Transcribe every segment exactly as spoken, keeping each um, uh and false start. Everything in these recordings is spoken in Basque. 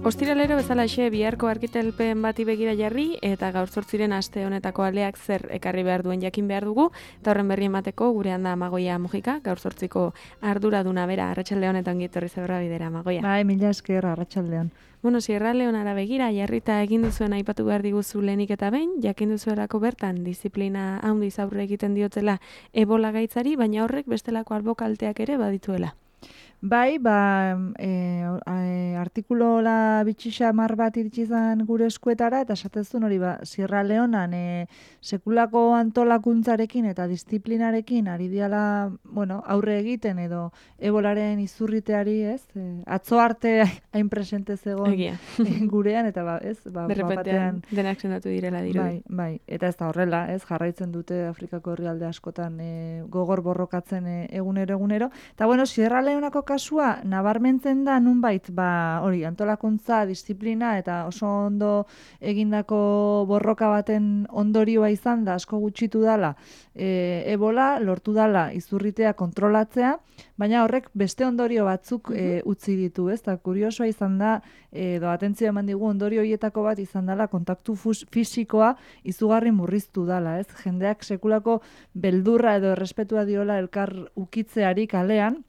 Ostiralero bezalaxe biharko argitelpen bati begira jarri eta gaur zortziren aste honetako aleak zer ekarri behar duen jakin behar dugu eta horren berri emateko gurean da Amagoia Mujika, gaur zortziko arduraduna bera, Arratsaldeon eta ongi etorri Zebra Bidera, Amagoia. Bai, mila esker, Arratsaldeon. Bueno, Sierra Leonara begira jarrita egin duzuen aipatu behar diguzu lehenik eta behin, jakin duzuelako bertan disiplina handiz aurre egiten diotela Ebola gaitzari, baina horrek bestelako albokalteak ere badituela. Bai, ba, e, e, artikulola bitxisa mar bat iritsi zen gure eskuetara, eta esatezun hori, ba, Sierra Leonan e, sekulako antolakuntzarekin eta disiplinarekin ari diala, bueno, aurre egiten edo ebolaren izurriteari, ez? E, atzo arte hain presente zegoen gurean, eta ba, ez? Ba, Berrepentean denak sendatu direla dirudi. Bai, bai, eta ez da horrela, ez? Jarraitzen dute Afrikako herrialde askotan e, gogor borrokatzen e, egunero egunero. Eta bueno, Sierra Leonako kasua nabarmentzen da nunbait, ba, hori, antolakuntza, disiplina eta oso ondo egindako borroka baten ondorioa izan da, asko gutxitu dala, e, Ebola lortu dala izurritea kontrolatzea, baina horrek beste ondorio batzuk e, utzi ditu, ez? Ta kuriosoa izan da, edo atentzio eman digu ondorio horietako bat izan dala kontaktu fisikoa izugarri murriztu dala, ez? Jendeak sekulako beldurra edo errespetua diola elkar ukitzeari kalean,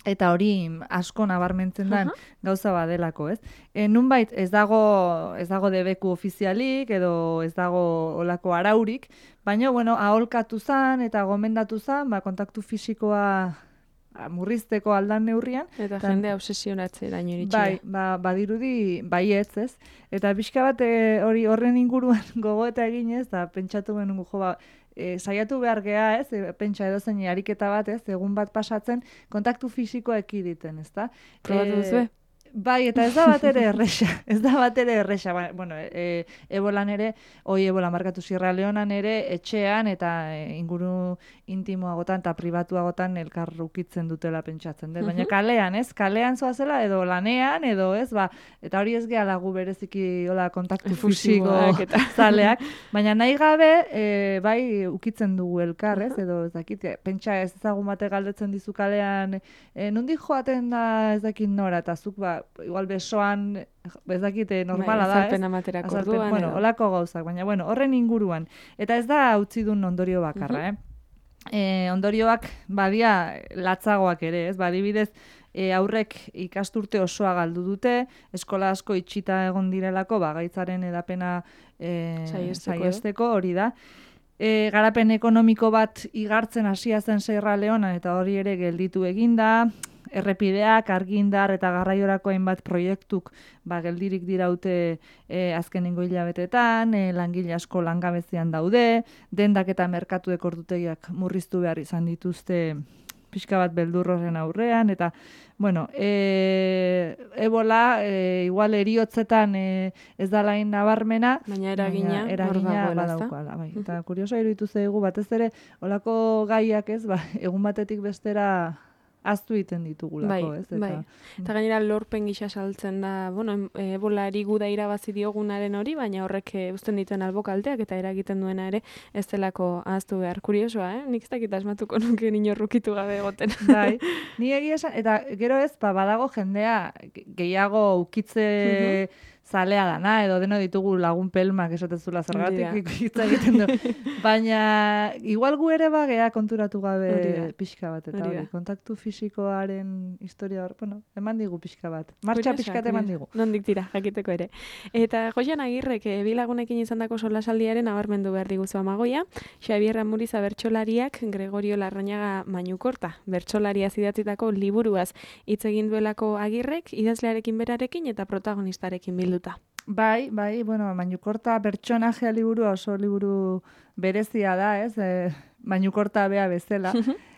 eta hori asko nabarmentzen den gauza badelako, ez? E, nunbait ez dago ez dago debeku ofizialik edo ez dago olako araurik, baina bueno, aholkatu zan eta gomendatu zan, ba, kontaktu fisikoa murrizteko aldan neurrian. Eta ta, jende obsesionatzeraino iritsi. Bai, ba, badirudi baietz, ez? Eta pixka bat e, hori horren inguruan gogoeta eginez, eta pentsatu benun jo, ba, E, saiatu behar geha, ez, e, pentsa edozein ariketa bat, ez, egun bat pasatzen, kontaktu fisikoa ekiditen, ez da? Probatu duzue? Bai, eta ez da bat ere erresa, ez da bat ere erresa, ba, bueno, e, Ebolan ere, oi Ebola markatu Sierra Leonan ere, etxean eta e, inguru intimoagotan eta pribatuagotan elkar ukitzen dutela pentsatzen, dut. Baina kalean, ez, kalean zoazela edo lanean, edo ez, ba, eta hori ez geha lagu bereziki hola, kontaktu fisiko zaleak, baina nahi gabe, e, bai, ukitzen dugu elkar, ez, edo ez dakit, pentsa ez ezagun bate galdetzen dizu kalean, e, nundi joaten da ez dakit nora, eta zuk, ba, igual besoan, ez dakite normala da, ez? Azalpen amaterak orduan. Bueno, holako gauzak, baina bueno, horren inguruan. Eta ez da utzi duen ondorio bakarra, eh? E, ondorioak badia latzagoak ere, ez? Badibidez, e, aurrek ikasturte osoa galdu dute, eskola asko itxita egon direlako, ba, gaitzaren edapena e, saiesteko hori da. E, garapen ekonomiko bat igartzen hasia zen Sierra Leonan, eta hori ere gelditu eginda, errepideak, argindar eta garraiorako hainbat proiektuk ba, geldirik diraute e, azkenengo hilabetetan, e, langile asko langabezian daude, dendak eta merkatuek ordutegiak murriztu behar izan dituzte pixka bat beldurroren aurrean, eta, bueno, e, Ebola, e, igual eriotzetan e, ez da lain nabarmena, baina eragina, baina eragina badaukala. Bai. Eta kurioso iruditu zaigu, batez ere, olako gaiak ez, ba, egun batetik bestera aztu egiten ditugulako, bai, ez? Eta, bai. Eta gainera lorpen gisa saltzen da, bueno, Ebolari guda irabazi diogunaren hori, baina horrek uzten dituen albokalteak eta eragiten duena ere ez delako ahaztu behar. Kuriosoa, eh? Nik ez dakit asmatuko nuke inorrukitu gabe egoten. Bai, ni egia esan, eta gero ez, ba, badago jendea gehiago ukitze zalea dana, edo deno ditugu lagun pelmak esatezula zergatik hitz egiten du. Baina, igual gu ere bagea konturatu gabe pixka bat, eta hori, kontaktu fisikoaren historia hor, bueno, eman digu pixka bat. Martxa pixkat eman digu. Nondik tira, jakiteko ere. Eta Joxan Agirrek, bilagunekin izandako solasaldiaren abarmendu behar diguzu Amagoia, Xabier Amuriza bertsolariak Gregorio Larrañaga Mañukorta, bertsolaria idatzitako liburuaz hitz egin duelako Agirrek, idazlearekin berarekin eta protagonistarekin bildu. Bai, bai, bueno, Mañukorta pertsonajea liburua oso liburu berezia da, ez? E, Mañukorta bea bezala.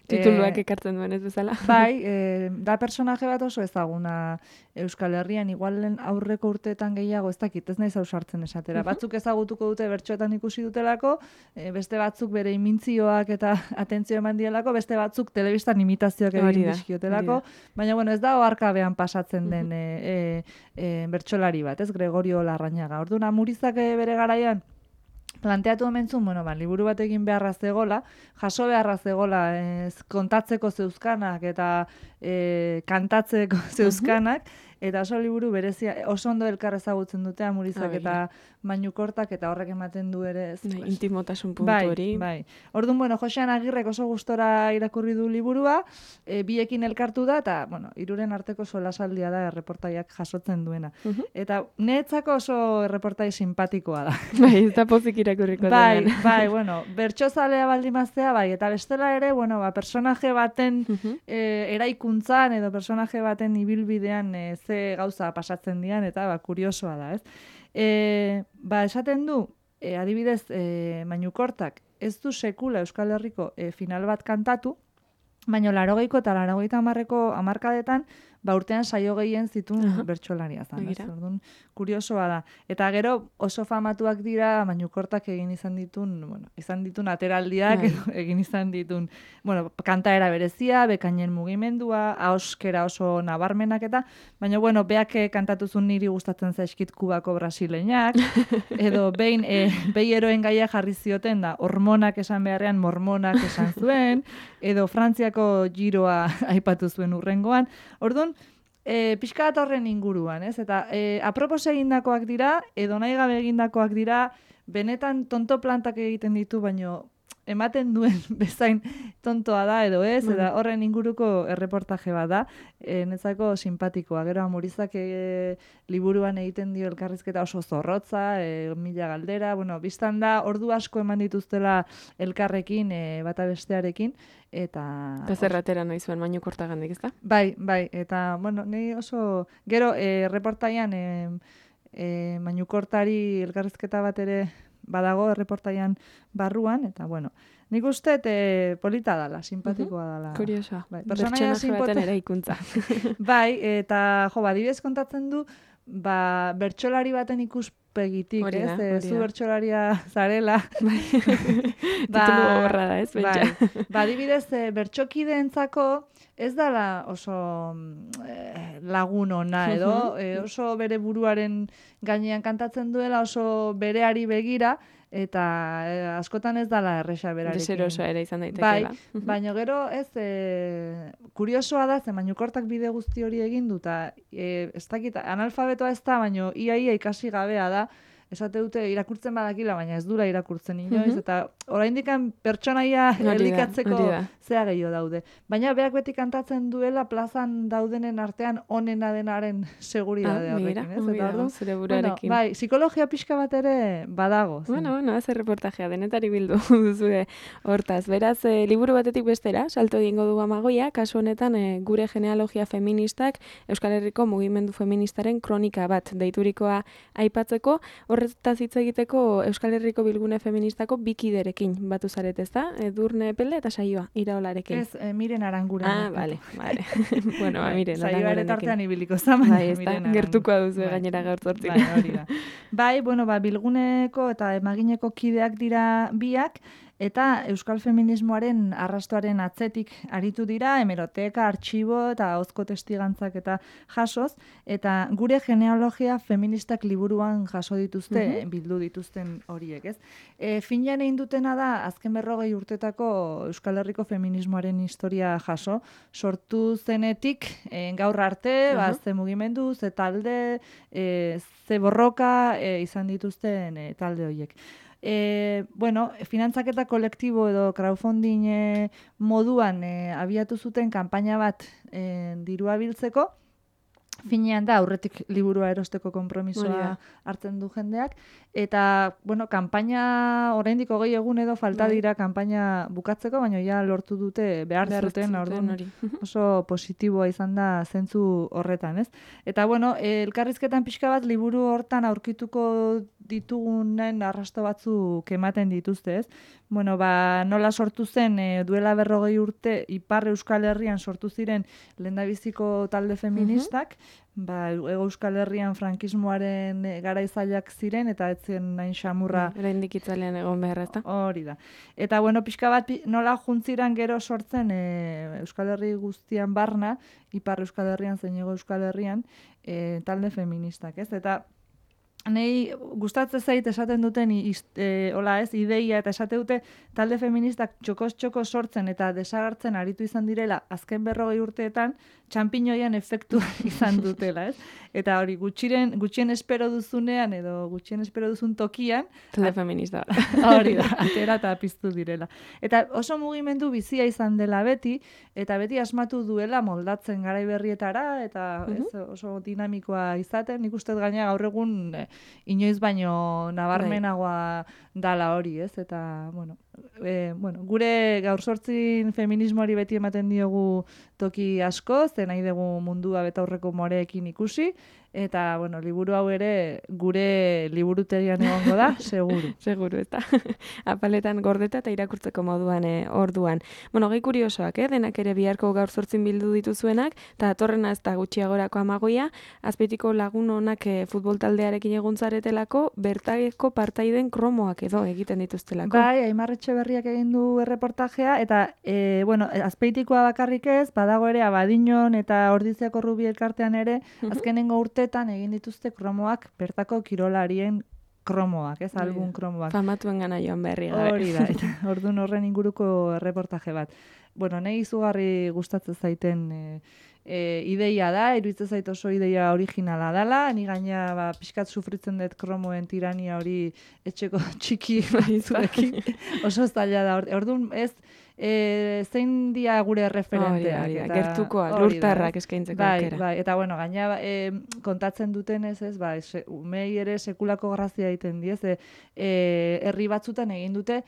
Tituluak ekartzen duen ez bezala. Bai, e, da personaje bat oso ezaguna Euskal Herrian, igualen aurreko urteetan gehiago, ez dakit, ez naiz ausartzen esatera. Batzuk ezagutuko dute bertsoetan ikusi dutelako, e, beste batzuk bere imintzioak eta atentzio eman dielako, beste batzuk telebistan imitazioak egin dizkiotelako, baina bueno, ez da oharkabean pasatzen den e, e, e, bertsolari bat, ez? Gregorio Larrañaga. Orduan Amurizak bere garaian planteatu omentzun, bueno, ba, liburu bat egin beharra zegola, jaso beharra zegola ez, kontatzeko zeuzkanak eta e, kantatzeko zeuzkanak, eta oso liburu berezia, oso ondo elkar ezagutzen dute Amurizak Ah, eta Mañukortak, eta horrek ematen du ere. Ez, Bai, pues, intimotasun puntu bai, hori. bai. Orduan, bueno, Josean Agirrek oso gustora irakurri du liburua, e, biekin elkartu da, eta, bueno, hiruren arteko solasaldia da erreportaiak jasotzen duena. Mhm. Eta netzako oso erreportai simpatikoa da. Bai, ez da pozik irakurriko Bai, denean. bai, bueno, bertsozalea baldimaztea, bai, eta bestela ere, bueno, ba, personaje baten Mhm. e, eraikuntzan edo personaje baten ibilbidean e, ze gauza pasatzen dian, eta ba, kuriosoa da, ez? E, ba, esaten du, e, adibidez, e, Mañukortak ez du sekula Euskal Herriko e, final bat kantatu, baina larogeiko eta larogeita hamarreko hamarkadetan, ba urtean saio gehien zituen Aha. bertsolaria zan. Ez? Begira. Orduan, kuriosoa da. Eta gero oso famatuak dira Mañukortak egin izan ditun, bueno, izan ditun ateraldiak, Bai. edo egin izan ditun, bueno, kantaera berezia, bekainen mugimendua, ahoskera oso nabarmenak eta, baina bueno, beak eh, kantatuzun niri gustatzen zaizkit Kubako brasileñak, edo behin e, behi eroen gaia jarri zioten da, hormonak esan beharrean mormonak esan zuen, edo Frantziako giroa aipatu zuen urrengoan. Orduan, e, pixka bat horren inguruan, ez? Eta e, apropos egindakoak dira, edo nahi gabe egindakoak dira, benetan tonto plantak egiten ditu, baino ematen duen bezain tontoa da edo ez, eta horren inguruko erreportaje bat da, e, netzako simpatikoa. Gero Amurizak e, liburuan egiten dio elkarrizketa oso zorrotza, e, mila galdera, bueno, biztan da ordu asko eman dituztela elkarrekin, e, bata bestearekin, eta... Eta zerratera nahi zuen Mañukortagandik, ezta? Bai, bai, eta, bueno, ni oso... Gero, e, reportaian, e, e, Mañukortari elkarrizketa bat ere badago erreportaian barruan, eta, bueno, nik uste e, polita dala, simpatikoa dala. Kuriosoa. Bai, Pertsonaia personaia baten simpote- eraikuntza. Bai, eta, jo, badibidez kontatzen du, ba, bertsolari baten ikuspegitik, Hori da, ez? E, hori zu da. bertsolaria zarela. Titulu gogorra da, ez? Pentsa. Bai, ba, adibidez, e, bertsokideentzako ez dala oso mm, eh, lagun ona edo, Mhm. e, oso bere buruaren gainean kantatzen duela, oso bereari begira, eta e, askotan ez dala erresa berarekin. Deserosoa ere izan Bai, daitekeela. baina gero ez, e, kuriosoa da, ze Mañukortak bide guzti hori egin du, eta e, ez dakit, analfabetoa ez da, baina iaia ikasi gabea da, esate dute irakurtzen badakila, baina ez dura irakurtzen inoiz, Mhm. eta oraindikan pertsonaia Hori da, elikatzeko hori da. zea gehiago daude. Baina beak beti kantatzen duela plazan daudenen artean onena denaren seguridade Ah, begira, horrekin, ez? ongi Eta dago, orduan, zure bueno, buruarekin. bai, psikologia pixka bat ere badago. zen. Bueno, bueno, ez erreportajea, denetari bildu duzue hortaz. Beraz, e, liburu batetik bestera, salto egingo du Amagoia, kasu honetan e, gure genealogia feministak Euskal Herriko mugimendu feministaren kronika bat deiturikoa aipatzeko, horretaz hitz egiteko Euskal Herriko bilgune feministako bikiderekin batu zaret, ezta? Edurne Pele eta Saioa, Iraolarekin. Ez, e, Miren Aranguren. Ah, vale, vale. bueno, ba, miren, Saioa ere Arangurenekin. tartean ibiliko zaman. Bai, ez da, gertukoa duzu gainera gaur zortzin. Bai, hori da. Bai, bueno, ba, bilguneko eta emagineko kideak dira biak, eta euskal feminismoaren arrastoaren atzetik aritu dira, hemeroteka, artxibo eta ahozko testigantzak eta jasoz, eta gure genealogia feministak liburuan jaso dituzte, bildu dituzten horiek, ez? E, finean egin dutena da, azken berrogei urtetako Euskal Herriko feminismoaren historia jaso, sortu zenetik e, gaur arte, ba, ze mugimendu, ze talde, e, ze borroka e, izan dituzten e, talde horiek. E, bueno, finantzaketa kolektibo edo crowdfunding e, moduan e, abiatu zuten kanpaina bat e, dirua biltzeko, finean da aurretik liburua erosteko konpromisoa hartzen du jendeak, eta, bueno, kanpaina oraindik hogei egun edo falta dira kanpaina bukatzeko, baina ja lortu dute behar, behar zuten, orduan hori. oso positiboa izan da zentzu horretan, ez? Eta, bueno, elkarrizketan pixka bat liburu hortan aurkituko ditugunen arrasto batzuk ematen dituzte, ez? Bueno, ba, nola sortu zen e, duela berrogei urte Ipar Euskal Herrian sortu ziren lehendabiziko talde feministak, ba, Ego Euskal Herrian frankismoaren e, garaizailak ziren, eta ez zen nain xamurra. Oraindik itzalean egon behar, ezta? Hori da. Eta, bueno, pixka bat nola juntziran gero sortzen e, Euskal Herri guztian barna, Ipar Euskal Herrian zein Ego Euskal Herrian, e, talde feministak, ez? Eta Nei gustatzen zait esaten duten e, hola ez, ideia eta esate dute talde feministak txokos-txoko sortzen eta desagertzen aritu izan direla azken berrogei urteetan txanpiñoian efektu izan dutela, ez? Eta hori gutxiren, gutxien espero duzunean edo gutxien espero duzun tokian talde feminista. Hori da, atera eta piztu direla. Eta oso mugimendu bizia izan dela beti, eta beti asmatu duela moldatzen garai berrietara, eta ez, oso dinamikoa izaten, nik uste gaina gaur egun eh, inoiz baino nabarmenagoa dala hori, ez? Eta, bueno, e, bueno, gure gaur sortzin feminismoari beti ematen diogu toki asko, ze nahi dugu mundua betaurreko moreekin ikusi, eta, bueno, liburu hau ere gure liburutegian egongo da, seguru. Seguru, eta apaletan gordeta eta irakurtzeko moduan e, orduan. Bueno, gehi kuriosoak, eh? Denak ere biharko gaur zortzin bildu dituzuenak, eta atorrena ez da gutxiagorako amagoia, azpeitiko lagun honak e, futbol taldearekin eguntzaretelako, bertako partaiden kromoak edo egiten dituztelako. Bai, Aimar Etxeberriak egin du erreportajea, eta, e, bueno, azpeitikoa bakarrik ez, badago ere Abadiñon eta Ordiziako Rubi elkartean ere, azkenengo urte egin dituzte kromoak bertako kirolarien kromoak, ez album kromoak. Famatuen gana joan berri gabe. Hori da, eta orduan horren inguruko reportaje bat. Bueno, nahi izugarri gustatzen zaiten e, e, ideia da, iruditzen zait oso ideia originala dela, ni gaina ba, pixkat sufritzen dut kromoen tirania hori etxeko txiki batzuekin, oso zaila da. Orduan ez, E, zein dia gure referenteak. Hori, hori, gertukoa, lurtarrak eskaintzeko bai, aukera. Bai, eta bueno, gaina e, kontatzen dutenez, ez, ba, se, umei ere sekulako grazia egiten diez, e, herri batzutan egin dute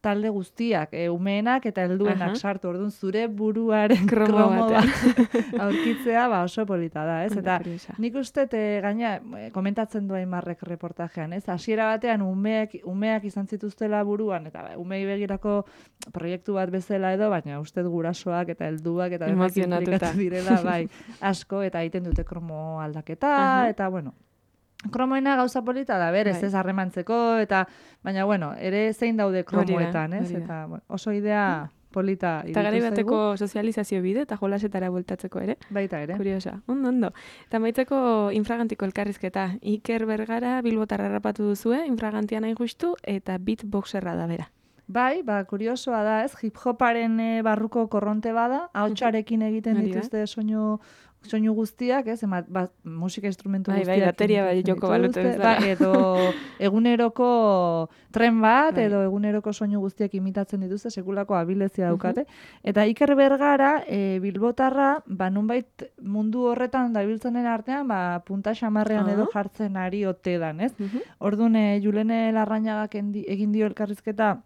talde guztiak, e, umeenak eta helduenak sartu, orduan zure buruaren kromo, kromo bat aurkitzea, ba, oso polita da, ez? Eta nik uste, e, gaina, komentatzen du Aimarrek reportajean, ez? Hasiera batean umeak, umeak izan zituztela buruan, eta ba, umei begirako proiektu bat bezala edo, baina uste gurasoak eta helduak eta denak implikatu direla, bai, asko, eta egiten dute kromo aldaketa, uh-huh. eta bueno, kromoena gauza polita da, berez, ez harremantzeko, eta, baina, bueno, ere zein daude kromoetan, ez? Eta, bueno, oso idea polita irutu zaigu. Eta garai bateko sozializazio bide, eta jolasetara bueltatzeko ere. Baita ere. Kuriosa, ondo, ondo. Eta maitzeko infragantiko elkarrizketa. Iker Bergara Bilbotarra harrapatu duzue, infragantian hain justu, eta beatboxerra da bera. Bai, ba, kuriosoa da, ez? Hip-hoparen e, barruko korronte bada, ahotsarekin egiten dituzte soinu soinu guztiak, ez, ema, ba, musika instrumentu bai, guztiak. Bai, bateria bai, joko balute bezala. Ba, edo eguneroko tren bat, bai. Edo eguneroko soinu guztiak imitatzen dituzte, sekulako abilezia daukate. Uh-huh. Eta Iker Bergara, e, Bilbotarra, ba, nunbait mundu horretan dabiltzenen artean, ba, punta xamarrean uh-huh. edo jartzen ari ote dan, ez? Uh-huh. Orduan, e, Julene Larrañagak egin dio elkarrizketa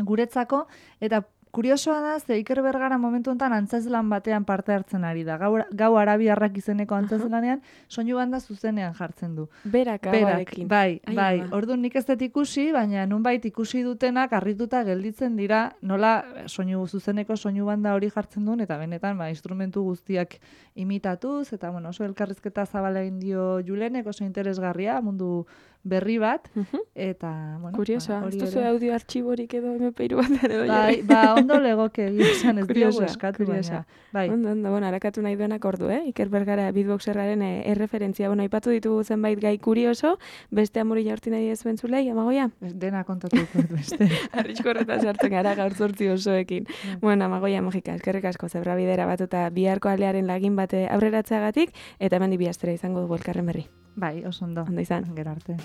guretzako, eta kuriosoa da, ze Iker Bergara momentu honetan antzezlan batean parte hartzen ari da. Gau, gau arabiarrak izeneko antzezlanean, soinu banda zuzenean jartzen du. Berak, Berak bai, Ai, bai. Orduan nik ez dut ikusi, baina nunbait ikusi dutenak harrituta gelditzen dira, nola soinu zuzeneko soinu banda hori jartzen duen, eta benetan, ba, instrumentu guztiak imitatuz, eta bueno, oso elkarrizketa zabala egin dio Julenek, oso interesgarria, mundu berri bat, uh-huh. eta, bueno... Kuriosoa, ba, ez duzu audio artxiborik edo eme pe hiru bat ere bai, ba, ondo legoke esan ez diogu eskatu, baina. Bai. Ondo, ondo, bueno, harakatu nahi duenak ordu, eh? Iker Bergara beatboxerraren eh, erreferentzia, bueno, aipatu ditugu zenbait gai kurioso, beste amuri jaurti nahi ez bentzulei, amagoia? Dena kontatuko beste. Arrisko horretan sartzen gara gaur zortzi osoekin. Yeah. Bueno, amagoia, magika, eskerrik asko, zebra bidera batuta biharko alearen lagin bate aurreratzeagatik, eta hemen dibiastera izango dugu elkarren berri. Bai, oso ondo. Ondo izan. Gero arte.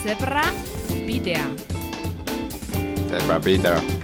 Zebra bidea. Zebra bidea.